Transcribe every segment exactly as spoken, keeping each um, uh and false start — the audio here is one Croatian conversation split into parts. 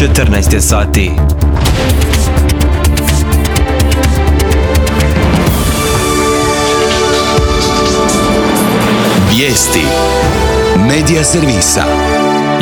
četrnaest je sati. Vijesti Medija servisa.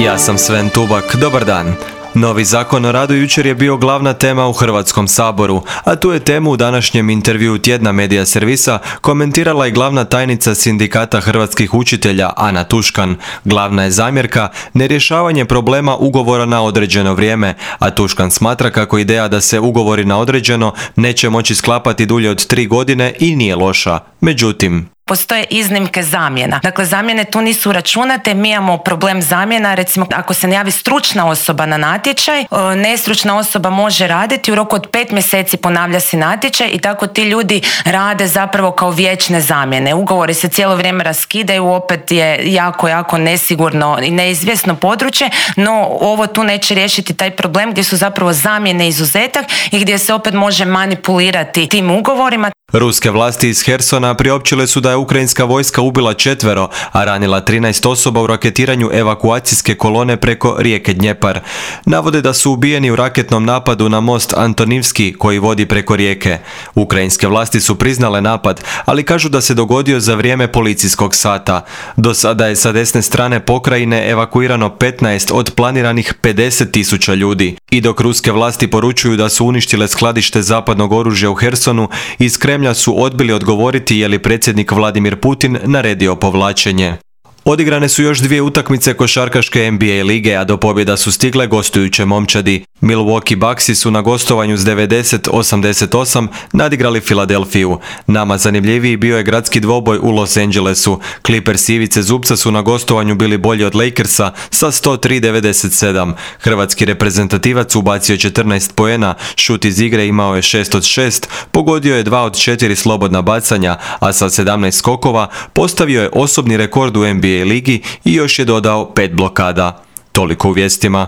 Ja sam Sven Tubak, dobar dan. Novi zakon o radu jučer je bio glavna tema u Hrvatskom saboru, a tu je temu u današnjem intervjuu tjedna Medija servisa komentirala i glavna tajnica Sindikata hrvatskih učitelja Ana Tuškan. Glavna je zamjerka nerješavanje problema ugovora na određeno vrijeme, a Tuškan smatra kako ideja da se ugovori na određeno neće moći sklapati dulje od tri godine i nije loša. Međutim, postoje iznimke zamjena. Dakle, zamjene tu nisu računate, mi imamo problem zamjena, recimo ako se ne javi stručna osoba na natječaj, nestručna osoba može raditi, u roku od pet mjeseci ponavlja se natječaj i tako ti ljudi rade zapravo kao vječne zamjene. Ugovori se cijelo vrijeme raskidaju, opet je jako, jako nesigurno i neizvjesno područje, no ovo tu neće riješiti taj problem gdje su zapravo zamjene izuzetak i gdje se opet može manipulirati tim ugovorima. Ruske vlasti iz Hersona priopćile su da je ukrajinska vojska ubila četvero, a ranila trinaest osoba u raketiranju evakuacijske kolone preko rijeke Dnjepar. Navode da su ubijeni u raketnom napadu na most Antonivski koji vodi preko rijeke. Ukrajinske vlasti su priznale napad, ali kažu da se dogodio za vrijeme policijskog sata. Do sada je sa desne strane pokrajine evakuirano petnaest od planiranih pedeset tisuća ljudi. I dok ruske vlasti poručuju da su uništile skladište zapadnog oružja u Hersonu, iz Kremlja su odbili odgovoriti je li predsjednik Vladimir Putin naredio povlačenje. Odigrane su još dvije utakmice košarkaške N B A lige, a do pobjeda su stigle gostujuće momčadi. Milwaukee Bucksi su na gostovanju s devedeset osamdeset osam nadigrali Filadelfiju. Nama zanimljiviji bio je gradski dvoboj u Los Angelesu. Clippers Ivice Zubca su na gostovanju bili bolji od Lakersa sa sto tri devedeset sedam. Hrvatski reprezentativac ubacio četrnaest poena, šut iz igre imao je šest od šest, pogodio je dva od četiri slobodna bacanja, a sa sedamnaest skokova postavio je osobni rekord u N B A ligi i još je dodao pet blokada. Toliko u vijestima.